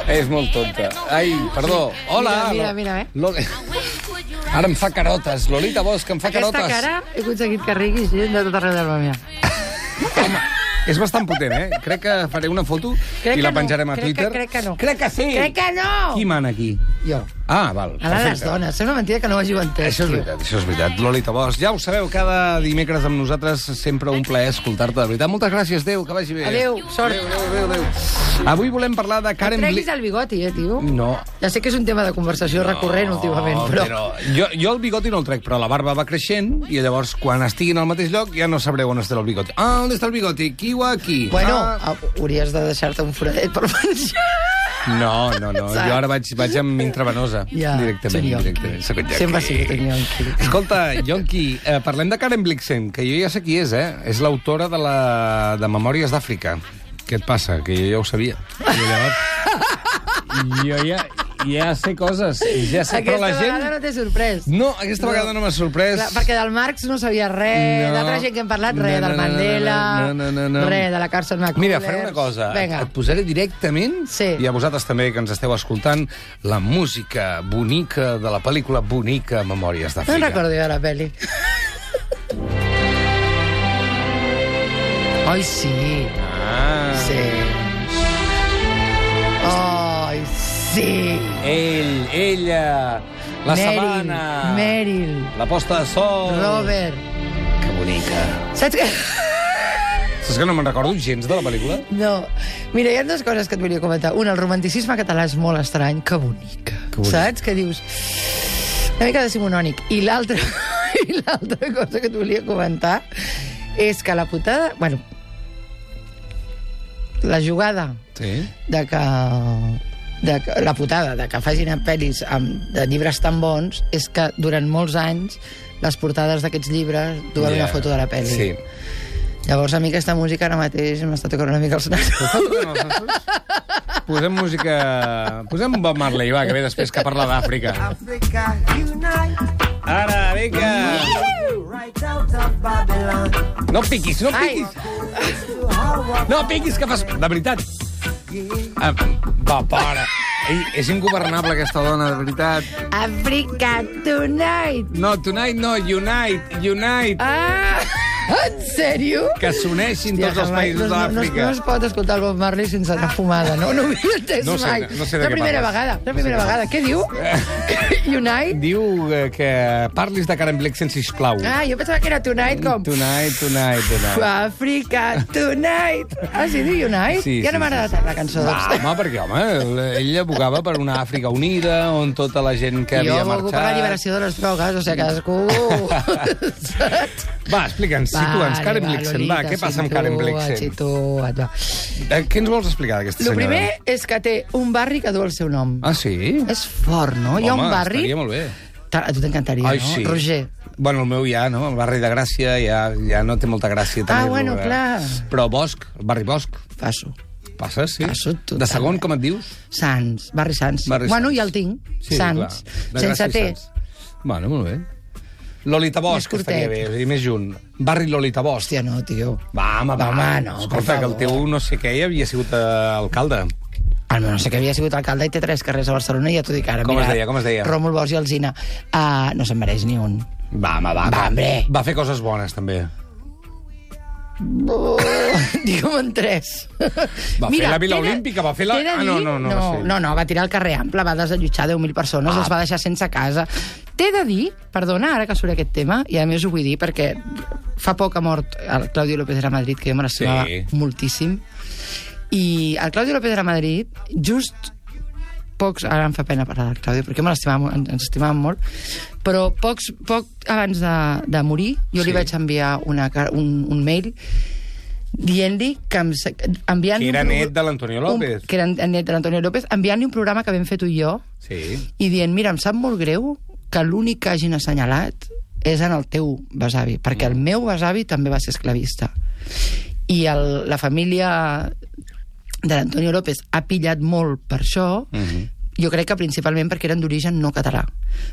És molt tonta. Ai, perdó. Hola. Mira. Ara em fa carotes. Lolita Bosch em fa carotes. Aquesta cara he aconseguit que rigui gent de tot arreu del món. Home, és bastant potent, Crec que faré una foto i la penjarem a Twitter. Crec que no. Crec que sí. Crec que no. Qui mana aquí? Jo. Ah, val. A les dones. És una mentida que no ho hàgiu entès. Això és veritat. Lolita Bosch, ja ho sabeu, cada dimecres amb nosaltres sempre un plaer escoltar-te, de veritat. Moltes gràcies, Déu, que vagi bé. Adéu, sort. Adéu. Avui volem parlar de Karen Treguis el bigoti, tio. No. Ja sé que és un tema de conversació recurrent últimament, però... Jo el bigoti no el trec, però la barba va creixent i llavors, quan estiguin al mateix lloc, ja no sabreu on està el bigoti. Ah, on està el bigoti? Qui ho aquí? Bueno, hauries de deixar-te un foradet per menjar. No. Jo ara vaig amb intravenosa. Ja, directament. Sempre ha sigut un Yonki. Escolta, Yonki, parlem de Karen Blixen, que jo ja sé qui és, És l'autora de Memòries d'Àfrica. Què et passa? Que jo ja ho sabia. Jo ja sé coses. Ja sé, Aquesta però la gent... vegada no t'he sorprès. No, aquesta vegada no m'ha sorprès. Clar, perquè del Marx no sabia res, d'altra gent que hem parlat, res, del Mandela, res, de la Carson McCullers... Mira, faré una cosa. Vinga. Et posaré directament, i a vosaltres també, que ens esteu escoltant, la música bonica de la pel·lícula bonica Memòries d'Àfrica. No recordo jo la pel·li. Ai, sí. Sí. Ai, sí. Ella, la sabana. Meryl. La posta de sol. Robert. Que bonica. Saps què? Saps que no me'n recordo gens de la pel·lícula? No. Mira, hi ha dues coses que et volia comentar. Una, el romanticisme català és molt estrany. Que bonica. Saps? Que dius... Una mica decimonònic. I l'altra cosa que et volia comentar és que la putada... Bueno, la jugada de que la putada de que facin pel·lis de llibres tan bons és que durant molts anys les portades d'aquests llibres duen una foto de la pel·li. Sí. Llavors a mi aquesta música ara mateix m'està tocant una mica els nassos. Posem música... Posem Bob Marley, va, que ve després, que parla d'Àfrica. Ara, vinga! No piquis! No piquis, que fas... De veritat. Va, para. És ingovernable, aquesta dona, de veritat. Africa Tonight! No, Tonight no, Unite. Ah! En sèrio? Que s'uneixin tots els països d'Àfrica. No es pot escoltar el Bob Marley sense anar fumada, no? No ho havia entès mai. No sé de què parles. La primera vegada. Què diu? Unite? Diu que parlis de Karen Blixen, sisplau. Ah, jo pensava que era Tonight com... Tonight. Africa Tonight. Ah, sí, diu Unite? Sí, ja no m'ha agradat la cançó. Home, perquè, ell abogava per una Àfrica unida, on tota la gent que havia marxat... Jo abogo per l'alliberació de les drogues, o sigui, cadascú... Va, explica'ns, situa'ns, Karen Blixen, va, què passa amb Karen Blixen? Què ens vols explicar d'aquesta senyora? El primer és que té un barri que du el seu nom. Ah, sí? És fort, no? Hi ha un barri... Home, estaria molt bé. A tu t'encantaria, no? Sí. Roger. Bueno, el meu ja, no? El barri de Gràcia ja no té molta gràcia tenir-lo. Ah, bueno, clar. Però Bosch, el barri Bosch. Passo. Passes, sí? Passo total. De segon, com et dius? Sants, barri Sants. Bueno, ja el tinc. Sants. Sense T. Bueno, molt bé. Lolita Bosch, que estaria bé, i més junt. Barri Lolita Bosch. Hòstia, no, tio. Va, home, no, escolta, que el teu no sé què havia sigut alcalde. El meu no sé què havia sigut alcalde i té 3 carrers a Barcelona, i ja t'ho dic ara. Com es deia? Ròmul Bosch i Alsina. No se'n mereix ni un. Va, hombre. Va fer coses bones, també. Digue'm en 3. Va fer la Vila Olímpica, va fer la... No, va tirar al carrer Ample, va desallotjar 10.000 persones, els va deixar sense casa. T'he de dir, perdona, ara que surt aquest tema, i a més ho vull dir perquè fa poc ha mort el Claudio López de la Madrid, que jo me l'estimava moltíssim, i el Claudio López de la Madrid, just pocs... Ara em fa pena parlar del Claudio, perquè ens estimàvem molt, però poc abans de morir, jo li vaig enviar un mail dient-li que... Que era net de l'Antonio López. Que era net de l'Antonio López, enviant-li un programa que vam fer tu i jo, i dient, mira, em sap molt greu que l'únic que hagin assenyalat és en el teu besavi, perquè el meu besavi també va ser esclavista. I la família de l'Antonio López ha pillat molt per això, Jo crec que principalment perquè eren d'origen no català.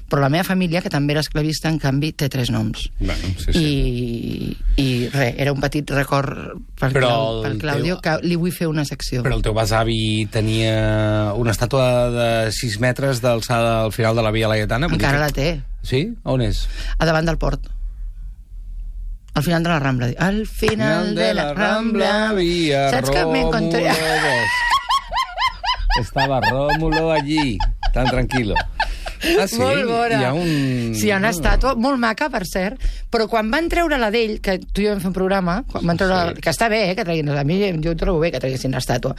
Però la meva família, que també era esclavista, en canvi, té 3 noms. Bueno, sí. I res, era un petit record pel Claudio, que li vull fer una secció. Però el teu besavi tenia una estàtua de 6 metres d'alçada al final de la Via Laietana? Encara la té. Sí? On és? A davant del port. Al final de la Rambla. Al final de la Rambla... Saps que me encontré... Estaba Rómulo allí, tan tranquilo. Ah, sí? Molt bona. Hi ha un... Sí, hi ha una estàtua molt maca, per cert, però quan van treure la d'ell, que tu i jo vam fer un programa, quan van treure que està bé, que treguin, a mi jo ho trobo bé que treguessin l'estàtua.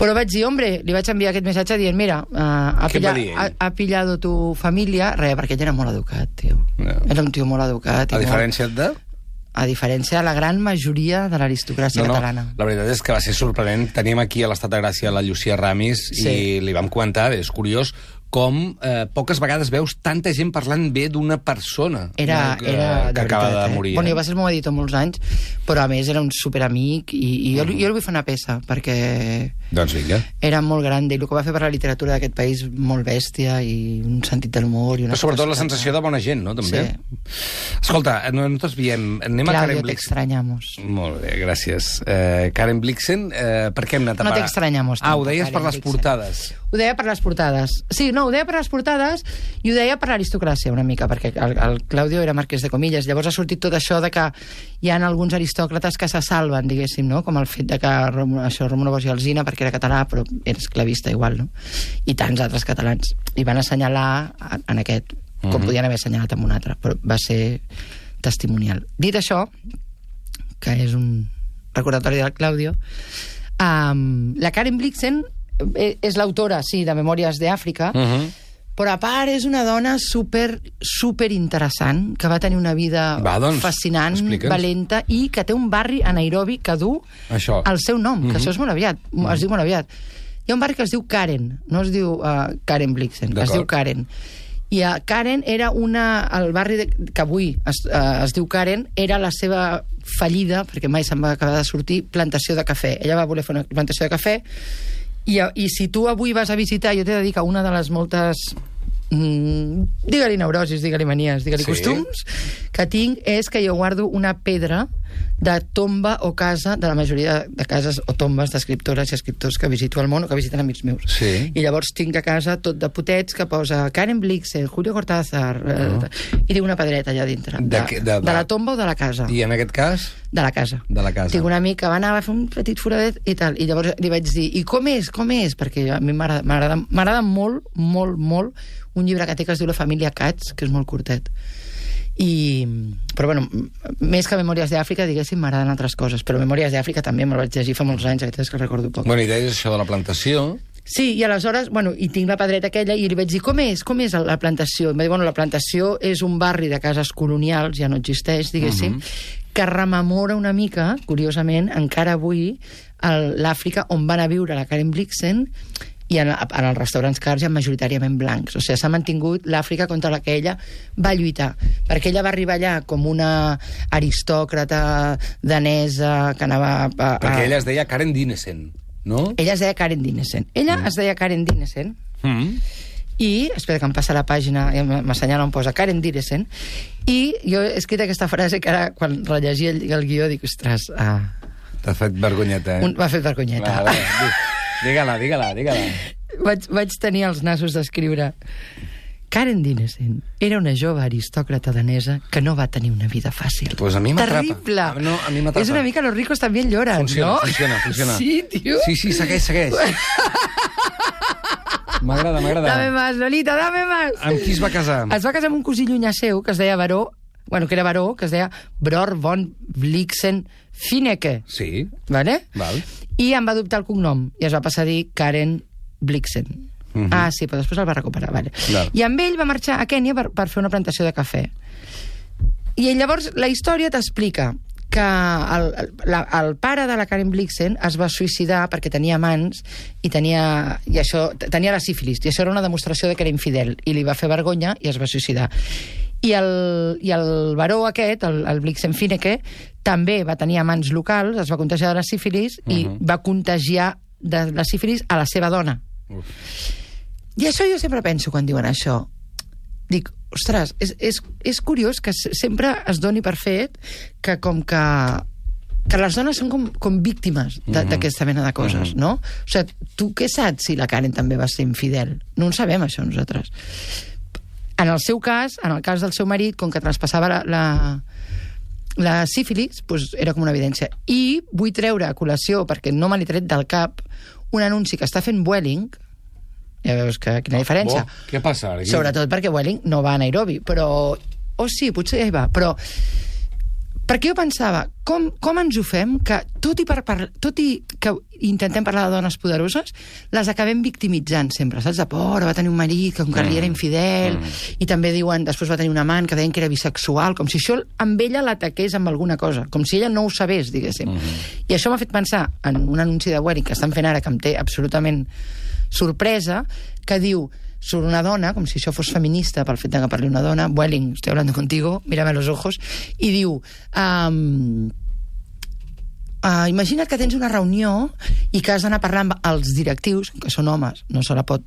Però vaig dir, hombre, li vaig enviar aquest missatge dient, mira, ha pillado tu família, perquè ell era molt educat, tio. No. Era un tio molt educat. A diferència de... A diferència de la gran majoria de l'aristocràcia catalana. La veritat és que va ser sorprenent. Teníem aquí a l'Estat de Gràcia la Llucia Ramis i li vam comentar, és curiós, com poques vegades veus tanta gent parlant bé d'una persona que acaba de morir. Bueno, jo va ser el meu editor molts anys, però a més era un superamic i jo li vull fer una peça, perquè doncs vinga. Era molt gran i el que va fer per la literatura d'aquest país molt bèstia i un sentit de l'humor. Però sobretot la sensació de bona gent, no? També. Sí. Escolta, nosaltres veiem... Anem a Karen Claudio, t'extrañamos. Molt bé, gràcies. Karen Blixen, per què hem anat a parar? No t'extrañamos. Ho deies per les portades. Ho deia per les portades. Sí, no, ho deia per les portades i ho deia per l'aristocràcia una mica, perquè el Claudio era marquès de Comillas. Llavors ha sortit tot això de que hi ha alguns aristòcrates que se salven, diguéssim, no? Com el fet de que Rómulo Bosch i Alsina, perquè era català, però era esclavista igual, no? I tants altres catalans. I van assenyalar en aquest, com podien haver assenyalat en un altre, però va ser testimonial. Dit això, que és un recordatori del Claudio, la Karen Blixen és l'autora, sí, de Memòries d'Àfrica, però a part és una dona super interessant, que va tenir una vida fascinant, valenta, i que té un barri a Nairobi que du el seu nom, que això és molt aviat, es diu molt aviat. Hi ha un barri que es diu Karen, no es diu Karen Blixen, es diu Karen. I Karen era el barri que avui es diu Karen, era la seva fallida, perquè mai se'n va acabar de sortir, plantació de cafè. Ella va voler fer una plantació de cafè, i si tu avui vas a visitar, jo t'he de dir que una de les moltes digue-li neurosis, digue-li manies, digue-li costums que tinc, és que jo guardo una pedra de tomba o casa de la majoria de cases o tombes d'escriptores i escriptors que visito al món o que visiten amics meus. I llavors tinc a casa tot de potets que posa Karen Blixen, Julio Cortázar, i tinc una pedreta allà dintre. De la tomba o de la casa? I en aquest cas? De la casa. Tinc un amic que va anar a fer un petit foradet i tal, i llavors li vaig dir, i com és? Perquè a mi m'agrada molt, molt, molt un llibre que té que es diu La família Katz, que és molt curtet. Però bueno, més que Memòries d'Àfrica, diguéssim, m'agraden altres coses, però Memòries d'Àfrica també me'l vaig llegir fa molts anys, és que recordo poc. Bueno, i deies això de la plantació. Sí, i aleshores, bueno, i tinc la pedreta aquella, i li vaig dir, com és la plantació? I em va dir, bueno, la plantació és un barri de cases colonials, ja no existeix, diguéssim, que rememora una mica, curiosament, encara avui, l'Àfrica on van a viure la Karen Blixen, i en els restaurants cars hi ha majoritàriament blancs. O sigui, s'ha mantingut l'Àfrica contra la que ella va lluitar, perquè ella va arribar allà com una aristòcrata danesa que anava perquè ella es deia Karen Dinesen, no? Ella es deia Karen Dinesen. Es deia Karen Dinesen i, espera que em passa la pàgina, m'assenyala on posa Karen Dinesen, i jo he escrit aquesta frase que ara, quan rellegia el guió, dic, ostres... T'ha fet vergonyeta, M'ha fet vergonyeta. Digue-la. Vaig tenir els nassos d'escriure. Karen Dinesen era una jove aristòcrata danesa que no va tenir una vida fàcil. Pues a mi m'atrapa. Terrible. No, a mi m'atrapa. És una mica Los ricos también lloran, no? Funciona. Sí, tio. Sí, segueix. M'agrada. Dame más, Lolita, dame más. Amb qui es va casar? Es va casar amb un cosí llunyà seu, que es deia Baró, que es deia Bror von Blixen Fineke. Sí. Vale? Val. I em va adoptar el cognom, i es va passar a dir Karen Blixen. Sí, però després el va recuperar, vale. I amb ell va marxar a Kènia per fer una plantació de cafè. I llavors la història t'explica que el pare de la Karen Blixen es va suïcidar perquè tenia amants i tenia la sífilis, i això era una demostració de que era infidel, i li va fer vergonya i es va suïcidar. I el baró aquest, el Blixen Fineke, també va tenir amants locals, es va contagiar de la sífilis i va contagiar de la sífilis a la seva dona. I això jo sempre penso quan diuen això. Dic, ostres, és curiós que sempre es doni per fet que com que les dones són com víctimes d'aquesta mena de coses, no? O sigui, tu què saps si la Karen també va ser infidel? No en sabem, això, nosaltres. En el seu cas, en el cas del seu marit, com que traspassava la sífilis, doncs era com una evidència. I vull treure a col·lació, perquè no me l'he tret del cap, un anunci que està fent Vueling. Ja veus quina diferència. Què passa ara? Sobretot perquè Vueling no va a Nairobi, però... sí, potser ja hi va, però... Perquè jo pensava, com ens ho fem que, tot i que intentem parlar de dones poderoses, les acabem victimitzant sempre, saps? De por, va tenir un marit que li era infidel, i també diuen, després va tenir un amant que deien que era bisexual, com si això amb ella l'ataqués amb alguna cosa, com si ella no ho sabés, diguéssim. I això m'ha fet pensar en un anunci de Vueling que estan fent ara, que em té absolutament sorpresa, que diu... sobre una dona, com si això fos feminista pel fet que parli una dona, Vueling, estoy hablando contigo, mírame a los ojos, i diu... imagina't que tens una reunió i que has d'anar a parlar amb els directius, que són homes, no se la pot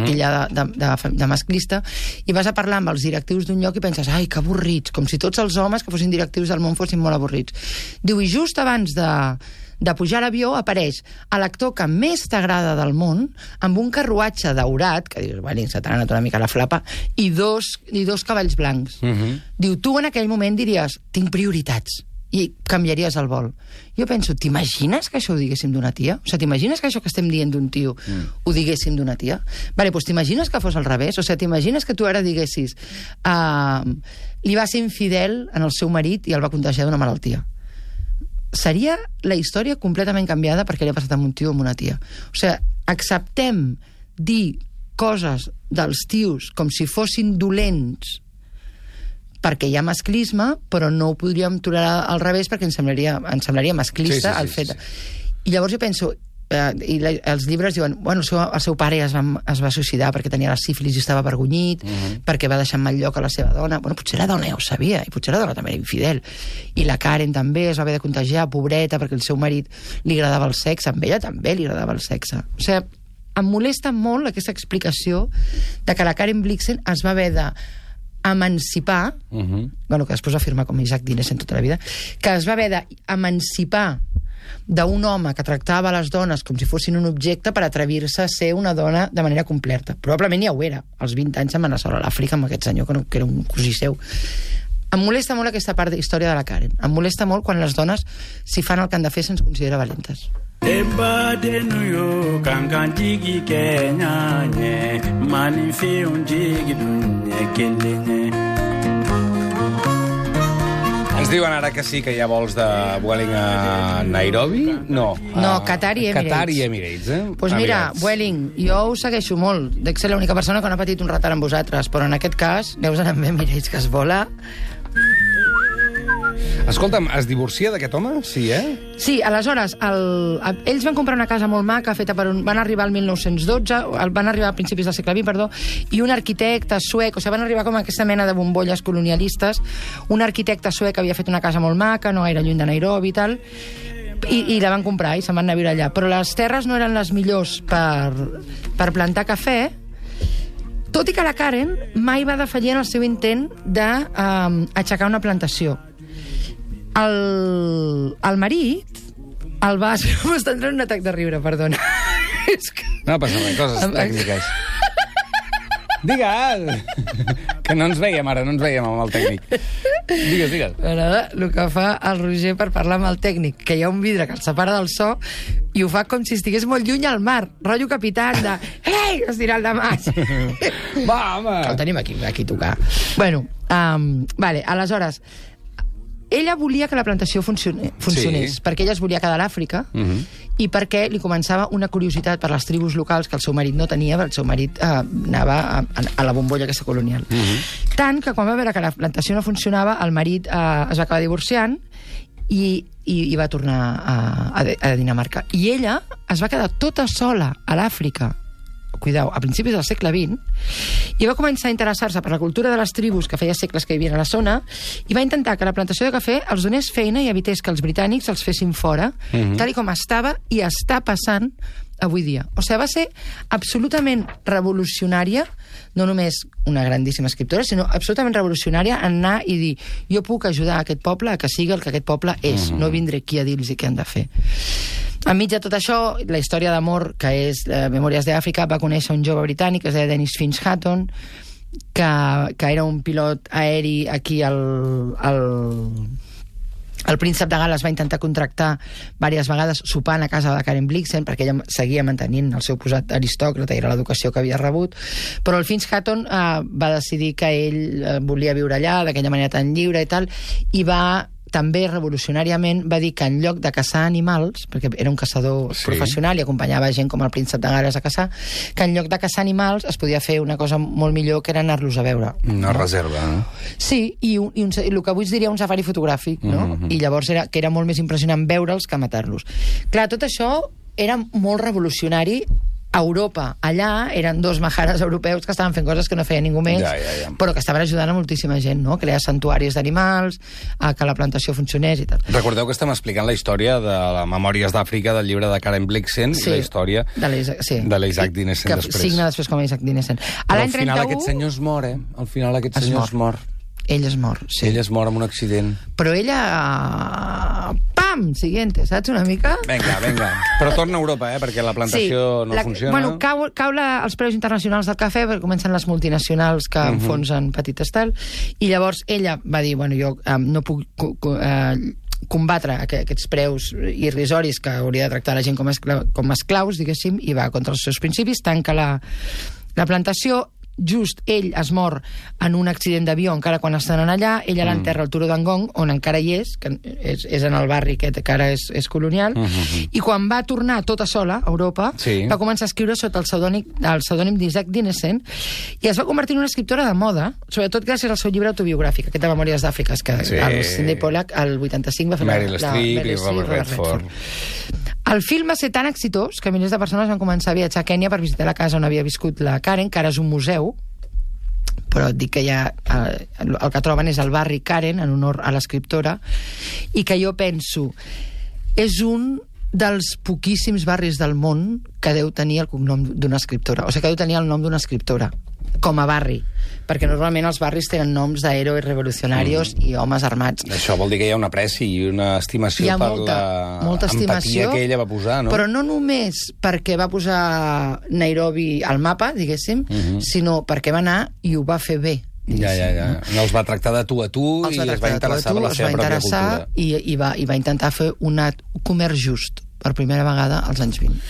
tillar de masclista, i vas a parlar amb els directius d'un lloc i penses, ai, que avorrits, com si tots els homes que fossin directius del món fossin molt avorrits. Diu, i just abans de pujar a l'avió apareix l'actor que més t'agrada del món amb un carruatge daurat, que dius, bueno, se t'ha anat una mica la flapa, i dos cavalls blancs. Diu, tu en aquell moment diries, tinc prioritats, i canviaries el vol. Jo penso, t'imagines que això ho diguéssim d'una tia? O sigui, t'imagines que això que estem dient d'un tio ho diguéssim d'una tia? Vale, doncs t'imagines que fos al revés? O sigui, t'imagines que tu ara diguessis li va ser infidel en el seu marit i el va contagiar d'una malaltia? Seria la història completament canviada perquè li ha passat amb un tio o amb una tia. O sigui, acceptem dir coses dels tios com si fossin dolents perquè hi ha masclisme, però no ho podríem tolerar al revés perquè ens semblaria masclista el fet. I llavors jo penso, i els llibres diuen, bueno, el seu pare es va suïcidar perquè tenia la sífilis i estava avergonyit, perquè va deixar en mal lloc a la seva dona. Bueno, potser la dona ja ho sabia, i potser la dona també era infidel. I la Karen també es va haver de contagiar, pobreta, perquè el seu marit li agradava el sexe, amb ella també li agradava el sexe. O sigui, em molesta molt aquesta explicació de que la Karen Blixen es va haver d'emancipar, bueno, que després va firmar com Isaac Dinesen tota la vida, que es va haver d'emancipar d'un home que tractava les dones com si fossin un objecte per atrevir-se a ser una dona de manera completa. Probablement ja ho era. Als 20 anys se'n va anar sola a l'Àfrica amb aquest senyor que era un cosí seu. Em molesta molt aquesta part de història de la Karen. Em molesta molt quan les dones, si fan el que han de fer, se'ns considera valentes. Ens diuen ara que sí, que hi ha vols de Vueling a Nairobi? No, Qatar i Emirates. Qatar i Emirates, Doncs mira, Vueling, jo us segueixo molt. Dec ser l'única persona que no ha patit un retard amb vosaltres, però en aquest cas, deus anar amb Emirates, que es vola. Escolta'm, es divorcia d'aquest home? Sí, Sí, aleshores, ells van comprar una casa molt maca, feta van arribar al 1912, van arribar a principis del segle XX, perdó, i un arquitecte suec, o sigui, van arribar com a aquesta mena de bombolles colonialistes, un arquitecte suec havia fet una casa molt maca, no gaire lluny de Nairobi i tal, i la van comprar i se'n van anar a viure allà. Però les terres no eren les millors per plantar cafè, tot i que la Karen mai va defallir en el seu intent d'aixecar una plantació. El marit el va... M'està entrant un atac de riure, perdona. No passa res, coses tècniques. Digue'l! Que no ens veiem ara, no ens veiem amb el tècnic. Digues. M'agrada el que fa el Roger per parlar amb el tècnic, que hi ha un vidre que el separa del so i ho fa com si estigués molt lluny al mar, rotllo capitán de «Ei!» estirant la mà. Va, home! El tenim aquí a tocar. Bueno, vale, aleshores... Ella volia que la plantació funcionés, perquè ella es volia quedar a l'Àfrica i perquè li començava una curiositat per les tribus locals que el seu marit no tenia, perquè el seu marit anava a la bombolla aquesta colonial. Tant que quan va veure que la plantació no funcionava, el marit es va acabar divorciant i va tornar a Dinamarca. I ella es va quedar tota sola a l'Àfrica cuidao, a principis del segle XX, i va començar a interessar-se per la cultura de les tribus que feia segles que vivien a la zona, i va intentar que la plantació de cafè els donés feina i evités que els britànics els fessin fora, tal com estava i està passant avui dia. O sigui, va ser absolutament revolucionària, no només una grandíssima escriptora, sinó absolutament revolucionària en anar i dir, jo puc ajudar aquest poble a que sigui el que aquest poble és, no vindré aquí a dir-los què han de fer. Enmig de tot això, la història d'amor, que és Memòries d'Àfrica, va conèixer un jove britànic que es deia Dennis Finch-Hatton, que era un pilot aeri aquí el príncep de Gal·les va intentar contractar diverses vegades sopant a casa de Karen Blixen perquè ella seguia mantenint el seu posat aristòcrata i era l'educació que havia rebut, però el Finch-Hatton va decidir que ell volia viure allà d'aquella manera tan lliure i tal, i va també revolucionàriament va dir que en lloc de caçar animals, perquè era un caçador professional i acompanyava gent com el príncep de Gal·les a caçar, que en lloc de caçar animals es podia fer una cosa molt millor, que era anar-los a veure. Una reserva, no? Sí, i el que avui es diria un safari fotogràfic, no? I llavors era molt més impressionant veure'ls que matar-los. Clar, tot això era molt revolucionari a Europa. Allà eren dos majares europeus que estaven fent coses que no feia ningú més, però que estaven ajudant a moltíssima gent, no? Crear santuaris d'animals, a que la plantació funcionés i tal. Recordeu que estem explicant la història de la Memòries d'Àfrica del llibre de Karen Blixen i la història de l'Isaac Dinesen després. Que signa després com a Isaac Dinesen. Però al final aquest senyor es mor, Al final aquest senyor es mor. Ell es mor, sí. Ell es mor amb un accident. Però ella... Pam! Siguiente, saps una mica? Vinga. Però torna a Europa, perquè la plantació no funciona. Bueno, cau els preus internacionals del cafè, perquè comencen les multinacionals que enfonsen petites tal, i llavors ella va dir, bueno, jo no puc combatre aquests preus irrisoris que hauria de tractar la gent com esclaus, diguéssim, i va contra els seus principis, tanca la plantació. Just ell es mor en un accident d'avió encara quan estan allà, ella l'enterra al Turó d'Angong, on encara hi és, que és en el barri aquest que ara és colonial, i quan va tornar tota sola a Europa, va començar a escriure sota el pseudònim d'Isaac Dinesen, i es va convertir en una escriptora de moda, sobretot gràcies al seu llibre autobiogràfic, aquest de Memòries d'Àfrica, que el Sidney Pollack al 85 va fer Meryl Streep i Robert Redford. El film va ser tan exitós que milers de persones van començar a viatjar a Kènia per visitar la casa on havia viscut la Karen, que ara és un museu, però et dic que ja el que troben és el barri Karen, en honor a l'escriptora, i que jo penso és un dels poquíssims barris del món que deu tenir el cognom d'una escriptora, o sigui, que deu tenir el nom d'una escriptora com a barri, perquè normalment els barris tenen noms d'herois revolucionaris i homes armats. Això vol dir que hi ha una apreci i una estimació per molta empatia que ella va posar, no? Però no només perquè va posar Nairobi al mapa, diguéssim, sinó perquè va anar i ho va fer bé. Ja. No els va tractar de tu a tu i es va interessar per la seva pròpia cultura. I va intentar fer un comerç just per primera vegada als anys 20.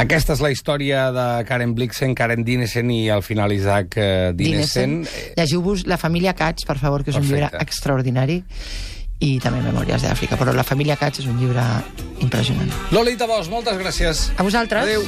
Aquesta és la història de Karen Blixen, Karen Dinesen i al final Isaac Dinesen. Llegiu-vos La família Katz, per favor, que és un llibre extraordinari, i també Memòries d'Àfrica, però La família Katz és un llibre impressionant. Lolita Bosch, moltes gràcies. A vosaltres. Adéu.